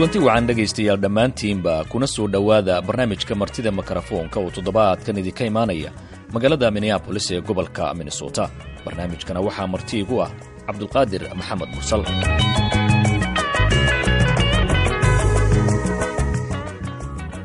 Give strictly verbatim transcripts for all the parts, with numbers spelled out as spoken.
Kulanti wacan, dhegaystayaal dhammaantiinba, kuna soo dhowaada barnaamijka Martida Mikrofoonka oo toddobaadkan idinka imaanaya magaalada Minneapolis ee gobolka Minnesota. Barnaamijkana waxaa marti igu ah Cabdulqaadir Maxamed Mursal.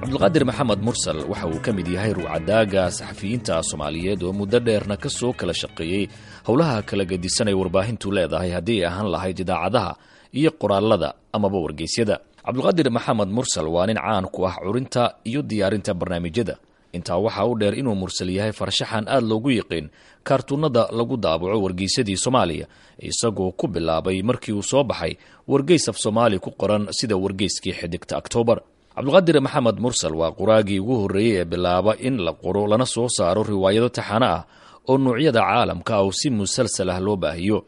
Cabdulqaadir Maxamed Mursal waxa uu ka mid yahay ruucadaaga saxafiyiinta Soomaaliyeed oo muddo dheerna ka soo kala shaqeeyey howlaha kala gedisan ay warbaahintu leedahay, haddii ay ahaan lahayd idaacadaha iyo qoraalada amaba wargeysyada. Cabdulqaadir Maxamed Mursal waa nin caan ku ah curinta iyo diyaarinta barnaamijyada. Intaa waxaa u dheer inuu Mursal yahay farshaxan aad loogu yiqiin kaartuunada lagu daabaco wargeysadii Soomaaliya, isagoo ku bilaabay markii uu soo baxay wargeys af Soomaali ku qoran sida wargeyskii Xidigta Octoobar. Cabdulqaadir Maxamed Mursal waa qoraagii ugu horreeyey ee bilaaba in la qoro lana soo saaro riwaayado taxano ah oo nuucyada caalamka ah oo si musalsal ah loo baahiyo.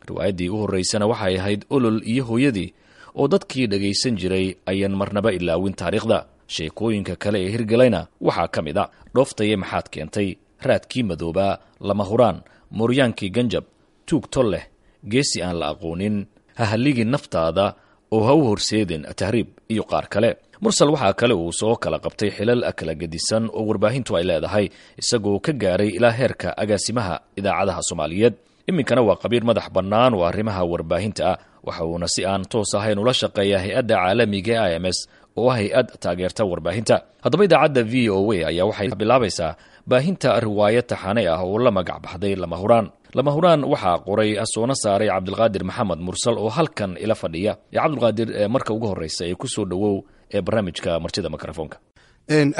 Riwaayaddii u horreysana waxay ahayd Olol iyo Hooyadii, oo dadkii dhagaysan jiray ayaan marnaba ilaawin taariikhda. Sheekooyinka kale ee hirgalayna waxaa ka mid a Dhooftaye Maxaad Keentay, Raadkii Madoobaa, Lama Huraan, Mooryaankii Ganjab, Tuug Tol Leh, Geesi Aan la Aqoonin, Hahalligii Naftaada oo Ha u Horseedin Tahriib iyo qaar kale. Mursal waxaa kale uu soo kala qabtay xilal kala gedisan oo warbaahintu ay leedahay, isagoo ka gaaray ilaa heerka agaasimaha idaacadaha Soomaaliyeed. Iminkana waa qabiir madax bannaan oo arrimaha warbaahinta ah, waxa uuna si aan toos ahayn ula shaqeeyaa hay-adda caalamiga e I M S oo ah hay-ad taageerta warbaahinta. Haddaba, idaacadda V O A ayaa waxay bilaabaysaa baahinta riwaayad taxane ah oo la magac baxday Lama Huraan. Lama Huraan waxaa qoray soona saaray Cabdilqaadir Maxamed Mursal oo halkan ila fadhiya. Cabdulqaadir, marka ugu horreysa ee kusoo dhowow ee barnaamijka Martida Mikrofoonka.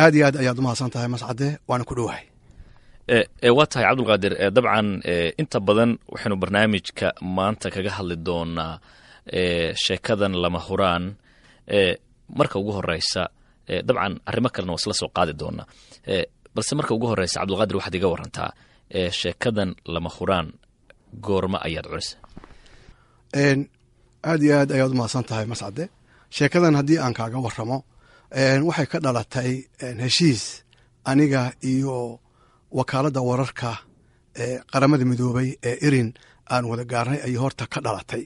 Aad iyo aad ayaad umahadsan tahay, Mascade, waana ku dhowahay. Waa tahay, Cabdulqaadir. Dabcan inta badan waxaynu barnaamijka maanta kaga hadli doonaa sheekadan Lama Huraan. Marka ugu horeysa, dabcan arrimo kalena waa isla soo qaadi doonaa, balse marka ugu horeysa, Cabdulqaadir, waxaad iga warantaa sheekadan Lama Huraan goorma ayaad curisa? Aad iyo aad ayaad umahadsan tahay, Mascade. Sheekadan haddii aan kaaga waramo, waxay ka dhalatay heshiis aniga iyo wakaaladda wararka ee Qaramada Midoobay ee IRIN aan wada gaarnay ayay horta ka dhalatay.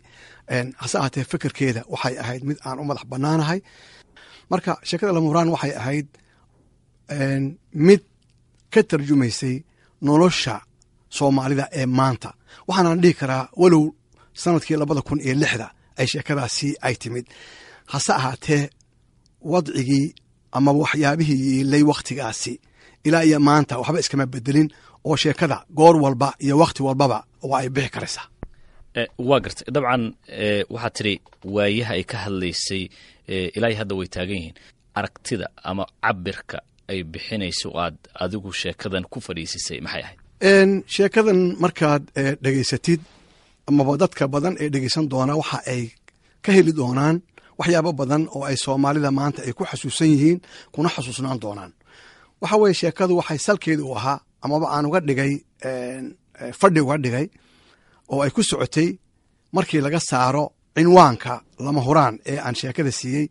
Hase ahaatee, fikirkeeda waxay ahayd mid aan u madax bannaanahay. Marka sheekada Lama Huraan waxay ahayd mid ka tarjumaysay nolosha Soomaalida ee maanta. Waxaanaan dhihi karaa, walow sanadkii labada kun iyo lixda ay sheekadaasi ay timid, hase ahaatee wadcigii ama waxyaabihii yiilay wakhtigaasi ilaa iyo maanta waxba iskama bedelin, oo sheekada goor walba iyo wakhti walbaba waa ay bixi karaysaa. Waa gartay. Dabcan waxaad tidhi waayaha ay ka hadlaysay ilaa iyo hadda way taagan yihiin. Aragtida ama cabirka ay bixinayso aad adigu sheekadan ku fadhiisisay maxay ahayd? Sheekadan markaad dhegaysatid amaba dadka badan ee dhegeysan doona waxa ay ka heli doonaan waxyaabo badan oo ay Soomaalida maanta ay ku xasuusan yihiin kuna xasuusnaan doonaan. Waxa weeye, sheekadu waxay salkeedu u ahaa amaba aan uga dhigay fadhi uga dhigay oo ay ku socotay, markii laga saaro cinwaanka Lama Huraan ee aan sheekada siiyey,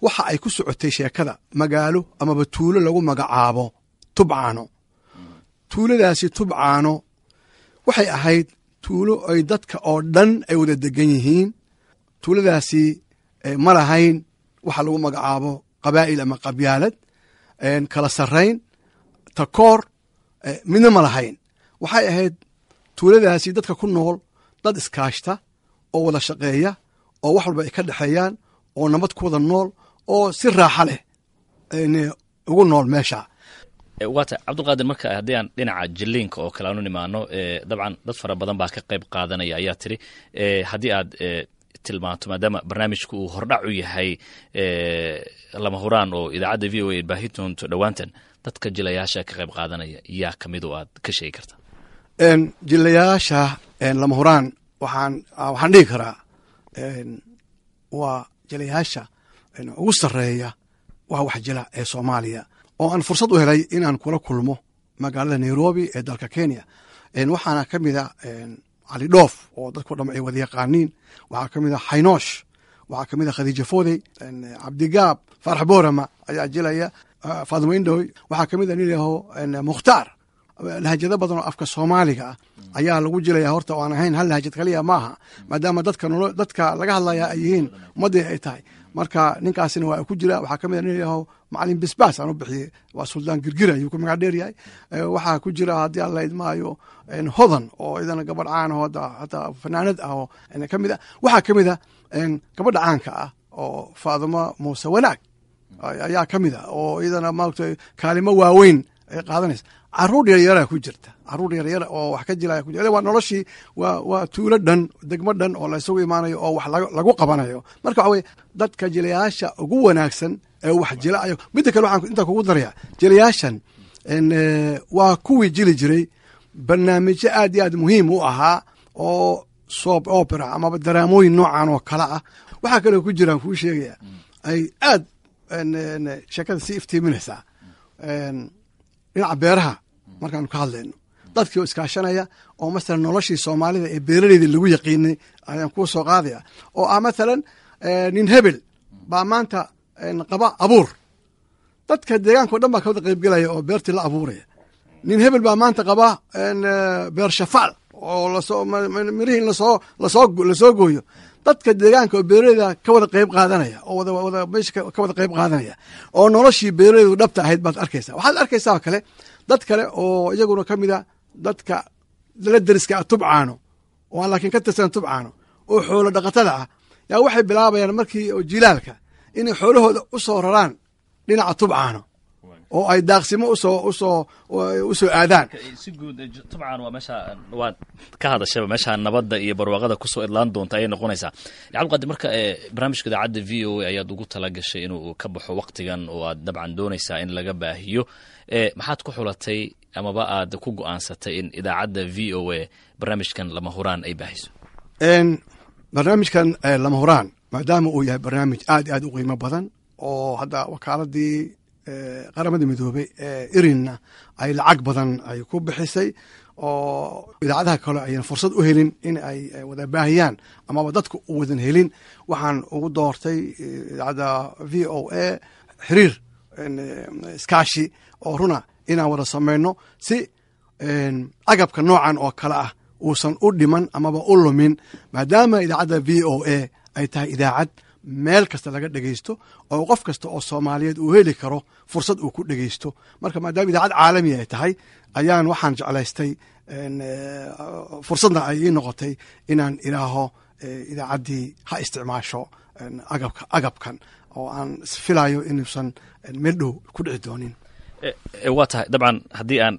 waxa ay ku socotay sheekada magaalo amaba tuulo lagu magacaabo Tubcaano. Tuuladaasi Tubcaano waxay ahayd tuulo ay dadka oo dhan ay wada degan yihiin. Tuuladaasi ma lahayn waxa lagu magacaabo qabaa'il ama qabyaalad, kala sarrayn, takoor, midna ma lahayn. Waxay ahayd tuuladaasi dadka ku nool dad iskaashta oo wada shaqeeya oo wax walba ay ka dhexeeyaan oo nabad ku wada nool oo si raaxa leh ugu nool meesha. Waata, Cabdulqaadir. Marka haddii aan dhinaca jiliinka oo kale aanu nimaano, dabcan dad fara badan baa ka qayb qaadanaya ayaa tiri. Haddii aad tilmaanto, maadaama barnaamijku uu hordhac u yahay Lama Huraan oo idaacadda V O A baahi doonto dhowaantan, dadka jilayaasha ka qayb qaadanaya yaa kamid oo aad ka sheegi karta? Jilayaasha Lama Huraan waxaan waxaan dhihi karaa waa jilayaasha ugu sarreeya waa wax jila ee Soomaaliya oo aan fursad u helay inaan kula kulmo magaalada Nairobi ee dalka Kenya. Waxaana ka mid a Cali Dhoof oo dadku dham ay wada yaqaaniin, waxaa ka mid a Xaynoosh, waxaa ka mid a Khadiija Foodey, Cabdigaab Faarax Boorama ayaa jilaya, Faadimo Indhoy, waxaa ka mid a nin yaho Mukhtaar. Lahajado badan oo afka Soomaaliga ah ayaa lagu jilaya horta, oo aan ahayn hal lahajad kaliya maaha, maadaama dadka nolo dadka laga hadlaya ay yihiin ummaddii ay tahay. Marka ninkaasina waa ku jira. Waxaa kamid a nin yaho Macalin Bisbaas aan u bixiyey, waa Suldaan Girgira ayuu ku magac dheer yahay. Waxaa ku jira, haddii Alla idmaayo, Hodan oo idana gabadh caan oo hataa fanaanad ah oo kamid ah. Waxaa kamid ah gabadha caanka ah oo Faadimo Muuse Wanaag ayaa kamid ah, oo iyadana maaragtay kaalimo waaweyn ay qaadanaysa. Caruur yaryara ku jirta, caruur yaryara oo wax ka jilaya ku jira. Waa noloshii, waa waa tuulo dhan, degmo dhan oo la isugu imaanayo oo wax lagu qabanayo. Marka waxa weye dadka jilayaasha ugu wanaagsan ee wax jila ayo. Midda kale waxaan intaa kugu daraya, jilayaashan waa kuwii jili jiray barnaamijyo aad iyo aad muhiim u ahaa oo soap opera amaba daraamooyin noocan oo kale ah. Waxaa kaloo ku jiraan kuu sheegaya ay aad sheekada sii iftiiminaysaa dhinaca beeraha markaanu ka hadlayno, dadkii oo iskaashanaya oo masalan noloshii Soomaalida ee beeraleyda lagu yaqiinay ayaan kuu soo qaadaya, oo ah masalan nin hebel baa maanta qaba abuur, dadka deegaanka o dhan baa ka wada qaybgelaya oo beertii la abuuraya. Nin hebel baa maanta qaba beer shafaal oo lasoo mirihii lasoo lasoo lasoo gooyo, dadka deegaanka oo beeraleyda ka wada qayb qaadanaya oo wada wada meesha ka wada qayb qaadanaya, oo noloshii beeraleydu dhabta ahayd baad arkaysaa. Waxaad arkaysaa oo kale dad kale oo iyaguna ka mid a dadka la deriska ah Tubcaano oo aan laakiin ka tirsan Tubcaano oo xoolo dhaqatada ah, yaa waxay bilaabayaan markii oo jilaalka inay xoolahooda u soo raraan dhinaca Tubcaano oo ay daaqsimo usoo usoo usoo aadaan. Si guud Tubcaan waa meesha waad ka hadashaba, meesha nabadda iyo barwaaqada kusoo idlaan doonta ayay noqonaysaa, Cabdiqaadir. Marka barnaamijka idaacadda V O A ayaad ugu tala gashay inuu ka baxo waqtigan oo aad dabcan doonaysaa in laga baahiyo. Maxaad ku xulatay amaba aad ku go'aansatay in idaacadda V O A barnaamijkan Lama Huraan ay baahiso? Barnaamijkan Lama Huraan, maadaama uu yahay barnaamij aad iyo aad u qiimo badan oo hadda wakaaladii Qaramada Midoobey ee irinna ay lacag badan ay ku bixisay, oo idaacadaha kale ayan fursad u helin in ay wada baahiyaan amaba dadku u wadan helin, waxaan ugu doortay idaacadda V O A xiriir iskaashi oo runa inaan wada samayno si agabka noocan oo kale ah uusan u dhiman amaba u lumin, maadaama idaacadda V O A ay tahay idaacad meel kasta laga dhegeysto oo qof kasta oo Soomaaliyeed uu heli karo fursad uu ku dhegeysto. Marka maadaama idaacad caalami ay tahay ayaan waxaan jeclaystay, fursadna ay ii noqotay, inaan ilaaho idaacaddii ha isticmaasho agabka agabkan oo aan filayo inuusan meel dhow ku dhici doonin. Waa tahay. Dabcan haddii aan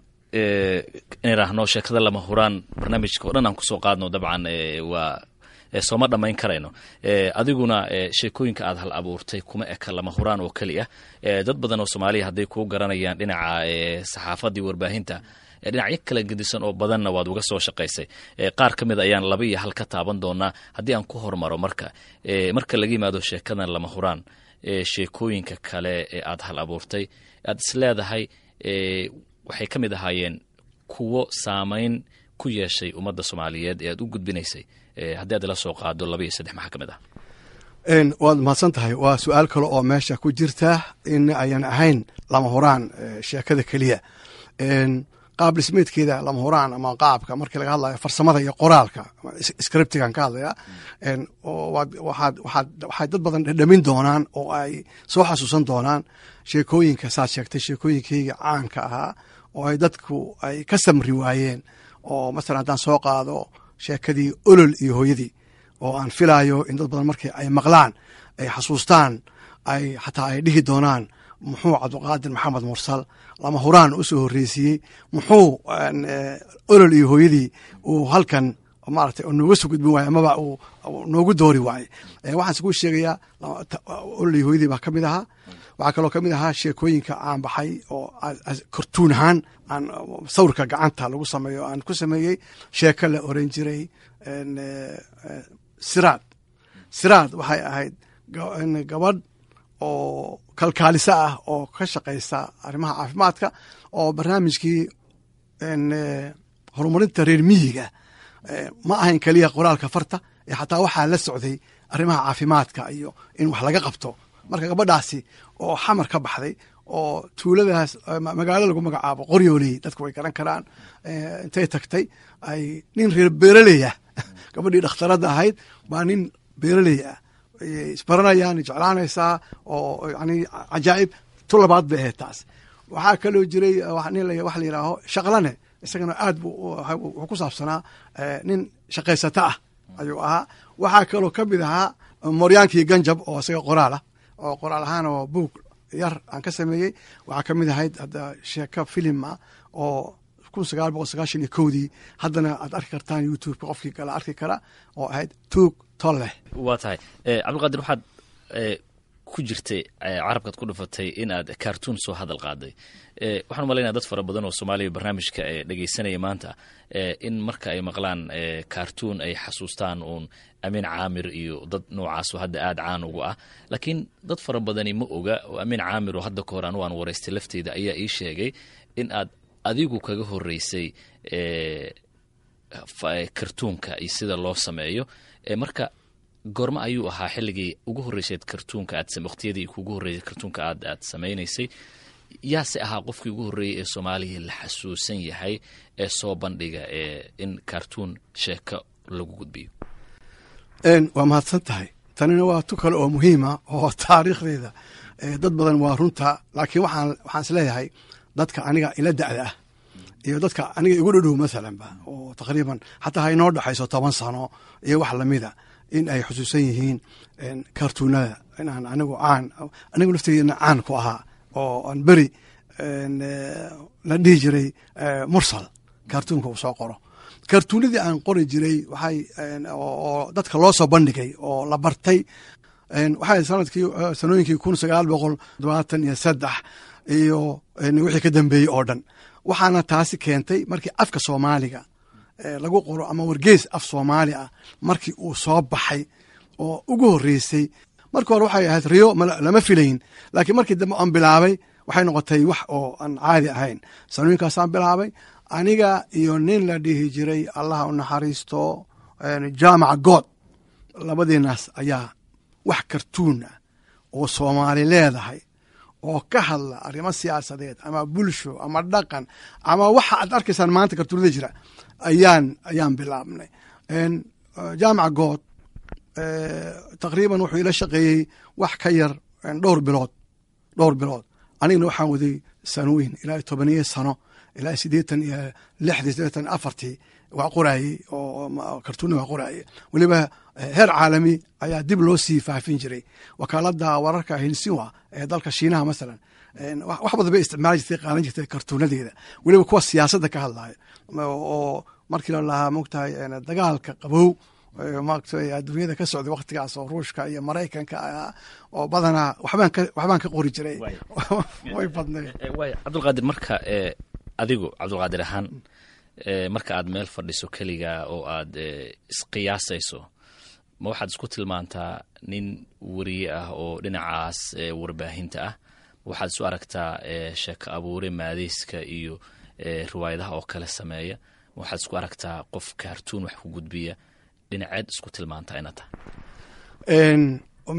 iniraahno sheekada Lama Huraan barnaamijka o dhan aan kusoo qaadno, dabcan waa sooma dhammayn karayno. Adiguna sheekooyinka aad hal abuurtay kuma eka Lama Huraan oo keliya. Dad badan oo Soomaaliya hadday kuu garanayaan dhinaca saxaafaddii warbaahinta, dhinacyo kala gedisan oo badanna waad uga soo shaqaysay. Qaar ka mid ayaan laba iyo hal ka taaban doonaa. Haddii aan ku hormaro, marka marka laga yimaado sheekadan Lama Huraan, sheekooyinka kale ee aad hal abuurtay aad is leedahay waxay ka mid ahaayeen kuwo saamayn ku yeeshay ummadda Soomaaliyeed ee aad u gudbinaysay, haddii aad ila soo qaado laba iyo saddex, maxaa ka mid ah? Waad mahadsan tahay. Waa su-aal kale oo meesha ku jirta in ayan ahayn Lama Huraan sheekada keliya. Qaab dhismeedkeeda Lama Huraan ama qaabka markii laga hadlayo farsamada iyo qoraalka, scriptigan ka hadlaya, waxaad waxaad waxay dad badan dhadhamin doonaan oo ay soo xasuusan doonaan sheekooyinka saad sheegtay, sheekooyinkeyga caanka ahaa oo ay dadku ay ka samri waayeen, oo masalan haddaan soo qaado sheekadii Olol iyo Hooyadii, oo aan filaayo in dad badan markii ay maqlaan ay xasuustaan, ay xataa ay dhihi doonaan: "Muxuu Cabdiqaadir Maxamed Mursal Lama Huraan u soo horreysiiyey? Muxuu Olol iyo Hooyadii uu halkan maaragtay nooga soo gudbin waaye amaba uu noogu doori waaye?" Waxaan kuu sheegayaa, Olol iyo Hooyadii baa ka mid ahaa. Waxaa kaloo ka mid ahaa sheekooyinka aan baxay oo kortuun ahaan aan sawirka gacanta lagu sameeyo aan ku sameeyey, sheeko la oran jiray Siraad. Siraad waxay ahayd gabadh oo kalkaalisa ah oo ka shaqaysa arrimaha caafimaadka, oo barnaamijkii horumarinta reer miyiga ma ahayn keliya qoraalka farta ee xataa waxaa la socday arrimaha caafimaadka iyo in wax laga qabto. Marka gabadhaasi oo Xamar ka baxday oo tuuladaas, magaalo lagu magacaabo Qoryooley, dadku way garan karaan, intay tagtay ay nin reer beeraley ah, gabadhii dhakhtaradda ahayd baa nin beeraley ah Isbaranayaan, jeclaanaysaa oo yani cajaa'ib. Tu labaad bay ahayd taas. Waxaa kaloo jiray nin waxa la yidhaaho Shaqlane, isagana aad bu wuxuu ku saabsanaa nin shaqaysata ah ayuu ahaa. Waxaa kaloo ka mid ahaa Moryaankii Ganjab oo isaga qoraal ah, oo qoraal ahaan oo buug yar aan ka sameeyey. Waxaa ka mid ahayd hadda sheeko filima oo kun sagaal boqol sagaashan iyo kowdii, haddana aad arki kartaan YouTube-ka, qofkii kala arki kara, oo ahayd Tuug Tolleh. Waa tahay, Cabdulqaadir, waxaad ku jirtay carabkaad ku dhufatay in aad cartoon soo hadal qaaday. Waxaan umalaynaya dad fara badan oo Soomaaliya barnaamijka dhegeysanaya maanta in marka ay maqlaan cartoon ay xasuustaan uun Amiin Caamir iyo dad noocaasoo hadda aada caan ugu ah, laakiin dad fara badani ma oga oo Amiin Caamir oo hadda ka hor anu aan waraystay lafteeda ayaa ii sheegay in aad adigu kaga horeysay kartuunka iyo sida loo sameeyo. Marka goormo ayuu ahaa xilligii ugu horreysayd kartuunka aad, waqtiyadii kugu horreysay kartuunka aad aad samaynaysay? Yaase ahaa qofkii ugu horreeyey ee Soomaaliya la xasuusan yahay ee soo bandhiga ee in kartuun sheeko lagu gudbiyo? Waa mahadsan tahay. Tanina waa tu kale oo muhiima oo taariikhdeeda dad badan waa runta, laakiin waxaan waxaan isleeyahay dadka aniga ila da'da ah iyo dadka aniga igu dhadhow masalanba, oo taqriiban xataa ha inoo dhexayso toban sano iyo wax lamida, in ay xusuusan yihiin kartuunada inaan anigu caan, anigu lafteedina caan ku ahaa, oo aan beri la dhihi jiray Mursal kartuunka uu soo qoro. Kartuunadii aan qori jiray waxay oo dadka loo soo bandhigay oo la bartay waxay sanadkii sanooyinkii kun sagaal boqol todobaatan iyo saddex iyo wixii ka dambeeyey oo dhan. Waxaana taasi keentay markii afka Soomaaliga lagu qoro ama wargeys af Soomaali ah markii uu soo baxay oo ugu horreysay. Marka hore waxay ahayd riyo, lama filayn, laakiin markii dambe aan bilaabay waxay noqotay wax oo aan caadi ahayn. Sanooyinkaasaan bilaabay aniga iyo nin la dhihi jiray, Allaha u naxariisto, Jaamaca God. Labadiinaas ayaa wax kartuun ah oo Soomaali leedahay oo ka hadla arrimo siyaasadeed ama bulsho ama dhaqan ama waxa aad arkaysaan maanta kartuunada jira ayaan ayaan bilaabnay. Jaamaca God taqriiban wuxuu ila shaqeeyey wax ka yar dhowr bilood dhowr bilood Anigana waxaan waday sanooyin, ilaa tobaniyo sano, ilaa siddeetan iyo lixdii, siddeetan afartii waa qoraayey oo kartuunna waa qoraayey. Weliba heer caalami ayaa dib loo sii faafin jiray. Wakaaladda wararka Xinhua ee dalka Shiinaha masalan wax badan bay isticmaali jirtay, qaadan jirtay kartuunadeeda, weliba kuwa siyaasadda ka hadlayo, oo markii la lahaa, mogtahay, dagaalka qabow maaragtay adduunyada ka socday waqtigaas oo Ruushka iyo Maraykanka ahaa, oo badanaa waxbaan ka waxbaan ka qori jiray, way badnayd. Waay, Cabdulqaadir, marka adigu Cabdulqaadir ahaan marka aad meel fadhiso keliga oo aad isqiyaasayso, ma waxaad isku tilmaantaa nin weriye ah oo dhinacaas warbaahinta ah? Waxaad isu aragtaa sheeko abuure maadeyska iyo riwaayadaha oo kale sameeya? Ma waxaad isku aragtaa qof kaartuun wax ku gudbiya? Dhinaceed isku tilmaantaa inaad tahay?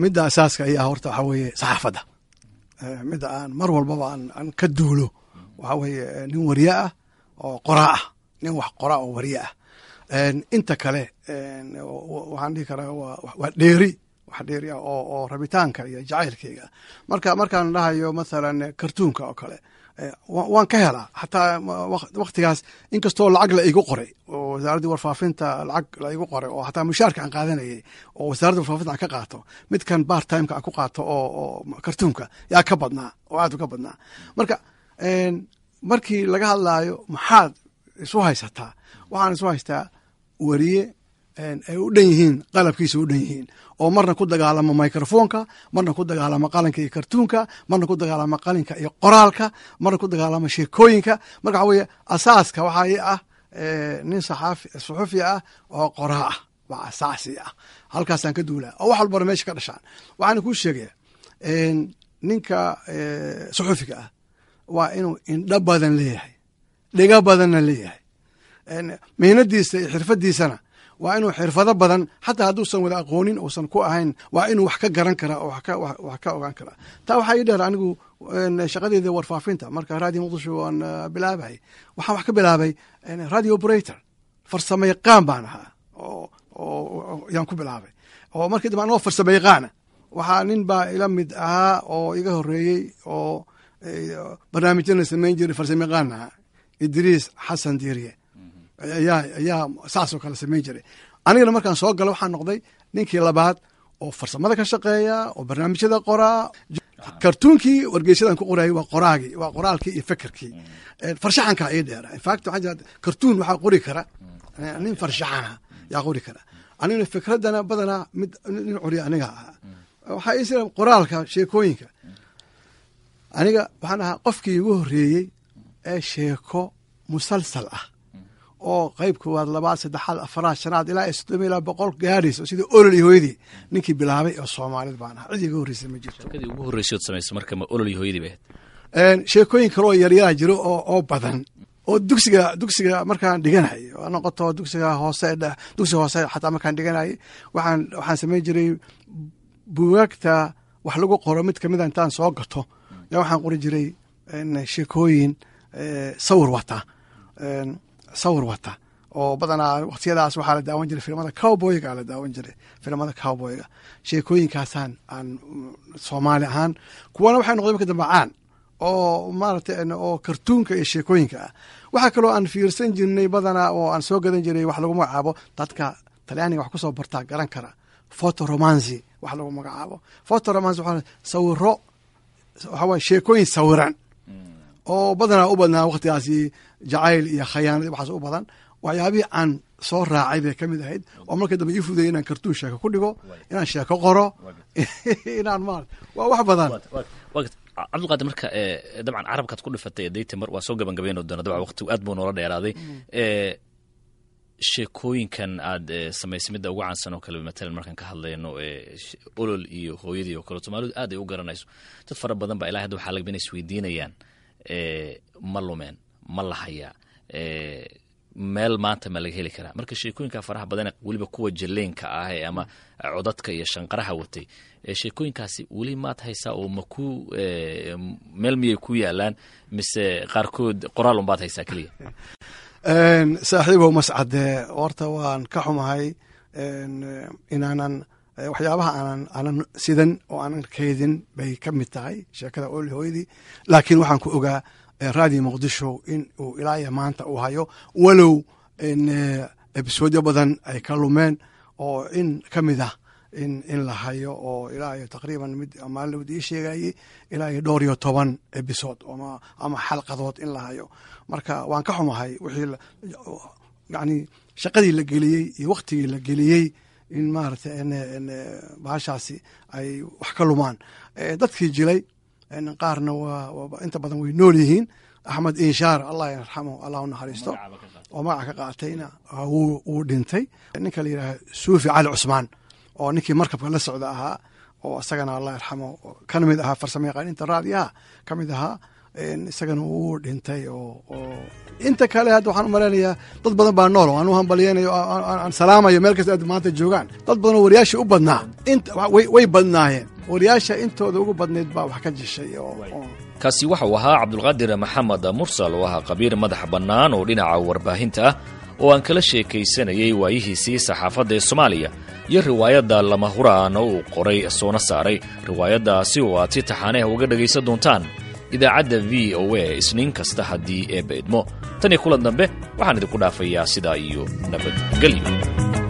Midda asaaska ayaa horta waxaa weeye saxaafadda. Midda aan mar walbaba aan ka duulo waxaa weeye nin wariye ah oo qoraa ah, nin wax qoraa oo wariye ah. Inta kale waxaan dhihi karaa waa dheeri, wax dheeri ah oo oo rabitaanka iyo jacaylkayga. Marka markaan dhahayo mathalan kartuunka oo kale waan ka helaa, xataa waktigaas inkastoo lacag la igu qoray oo wasaaraddii warfaafinta lacag la igu qoray, oo xataa mushaarka aan qaadanayay oo wasaaradda warfaafinta aan ka qaato, midkan part timeka aan ku qaato oo oo kartuunka yaa ka badnaa oo aad uga badnaa. Marka markii laga hadlaayo maxaad isu haysataa, waxaan isu haystaa weriye ay u dhan yihiin, qalabkiisa u dhan yihiin, oo marna ku dagaalamo microfonka, marna ku dagaalamo qalinka iyo kartuunka, marna ku dagaalamo qalinka iyo qoraalka, marna ku dagaalamo sheekooyinka. Marka waxa weeye asaaska waxaa ii ah nin saxaafi suxufi ah oo qoraa ah, waa asaasi ah, halkaasaan ka duulaa oo wax walbana meesha ka dhashaan. Waxaana kuu sheegaya, ninka suxufiga ah waa inuu indho badan leeyahay, dhigo badanna leeyahay, mihnadiisa iyo xirfadiisana waa inuu xirfado badan, xataa hadduusan wada aqoonin uusan ku ahayn, waa inuu wax ka garan karaa oo wax ka ogaan karaa. Taa waxaa ii dheer anigu shaqadeeda warfaafinta. Marka Radio Muqdisho waan bilaabay, waxaan wax ka bilaabay radio operator, farsamo yaqaan baan ahaa oo oo yaan ku bilaabay. Oo markii dambe anoo farsamo yaqaana, waxaa nin baa ila mid ahaa oo iga horeeyey oo barnaamijyana samayn jiray, farsamo yaqaan ahaa, Idriis Xasan Diiriye ayaa ayaa saasoo kale samayn jiray. Anigana markaan soo galo waxaan noqday ninkii labaad oo farsamada ka shaqeeya oo barnaamijyada qoraa. Kartuunkii wargeysyadan ku qorayay waa qoraagii, waa qoraalkii iyo fekerkii, farshaxankaa ii dheera. In fact, waxaa jira kartuun waxaa qori kara nin farshaxana yaa qori kara. Anigana fikraddana badanaa mid nin curiya aniga ahaa. Waxaa ii sira qoraalka sheekooyinka. Aniga waxaan ahaa qofkii igu horreeyey ee sheeko musalsal ah oo qayb koowaad, labaad, saddexaad, afaraad, shanaad ilaa iyo soddon ilaa boqol gaadhayso, sidii Olol iyo Hooyadii, ninkii bilaabay oo Soomaalida baan ahaa. Cid iga horreysay ma jirto. Sheekadii ugu horreysay ood samaysay marka ma Olol iyo Hooyadii bay ahayd? Sheekooyin kale oo yaryaraa jiro oo oo badan oo dugsiga dugsiga markaan dhiganayay, ha noqoto dugsiga hoose, dugsiga hoose xataa markaan dhiganayay, waxaan waxaan samayn jiray buugaagta wax lagu qoro mid kamida intaan soo gato yaa waxaan qori jiray sheekooyin sawir wata sawir wata oo badanaa waqtiyadaas waxaa la daawan jiray filimada cowboyga la daawan jiray filimada cowboyga. Sheekooyinkaasaan aan Soomaali ahaan, kuwana waxay noqday marka dambe caan oo maaragtay oo kartuunka iyo sheekooyinka ah. Waxaa kaloo aan fiirsan jirnay badanaa oo aan soo gadan jiray wax lagu magacaabo, dadka Talyaaniga wax kusoo bartaa garan kara, foto romanzi wax lagu magacaabo. Foto romanzi waxaa sawiro, waxaa waye sheekooyin sawiran oo badanaa u badnaa waqtigaasi jacayl iyo khayaanad, waxaas u badan. Waxyaabihii aan soo raacay bay ka mid ahayd oo marka dambe ii fudayay inaan kartuun sheeko ku dhigo, inaan sheeko qoro, inaan ma waa wax badan. Cabdulqaadir, marka dabcan carabkaad ku dhifatay dayta mar waa soo gabagabayno doona. Dabcan waqtigu aad buu noola dheeraaday. Sheekooyinkan aad samaysay midda ugu caansan oo kale, matalan markaan ka hadlayno Olol iyo Hooyadii oo kale, Soomaalidu aad ay u garanayso, dad fara badan baa ilaa hadda waxaa laga inay isweydiinayaan: ma lumeen? Ma la hayaa? Meel maanta ma laga heli karaa? Marka sheekooyinka faraha badan, weliba kuwa jaleenka ah ee ama codadka iyo shanqaraha watay, sheekooyinkaasi weli maad haysaa oo ma ku meel miyay ku yaalaan, mise qaarkood qoraal unbaad haysaa keliya? Saaxiibow Mascade, horta waan ka xumahay inaanan waxyaabaha aanan aanan sidan oo aanan kaydin bay ka mid tahay sheekada Olol Hooyadii, laakiin waxaan ku ogaa Raadiyo Muqdisho in uu ilaa iyo maanta uu hayo, walow ebisoodyo badan ay ka lumeen oo in ka mid ah in in la hayo oo ilaa iyo taqriiban mid maalin ii sheegayey ilaa iyo dhowr iyo toban episode ama ama xalqadood in la hayo. Marka waan ka xumahay wixii yani shaqadii la geliyey iyo waktigii la geliyey in maaragtay bahashaasi ay wax ka lumaan. Dadkii jilay qaarna waa inta badan way nool yihiin. Axmed Inshaar, Allah yarxamo, Allah u naxariisto, oo magaca ka qaatayna wuu dhintay. Ninka la yidhaaha Suufi Cali Cusmaan oo ninkii markabka la socda ahaa oo isagana Allah yarxamo kana mid ahaa farsamo yaqaaninta raadiyaha ka mid ahaa, isagana wuu dhintay. Oo inta kale hadda waxaan u malaynayaa dad badan baa nool oo aan u hambalyeynayo, aan salaamayo meel kasta aad maanta joogaan. Dad badan oo wariyaashii u badnaa, way badnaayeen, wariyaasha intooda ugu badnayd baa wax ka jishay. Kaasi waxa uu ahaa Cabdulqaadir Maxamed Mursal oo ahaa khabiir madax bannaan oo dhinaca warbaahinta ah oo aan kala sheekaysanayay waayihiisii saxaafadda ee Soomaaliya iyo riwaayadda Lama Huraan oo uu qoray soona saaray. Riwaayaddaasi oo aad si taxaaneh uga dhegaysan doontaan idaacadda V O A Isniin kasta haddii Eebba idmo. Tan iyo kulan dambe waxaan idinku dhaafayaa sidaa iyo nabadgelyo.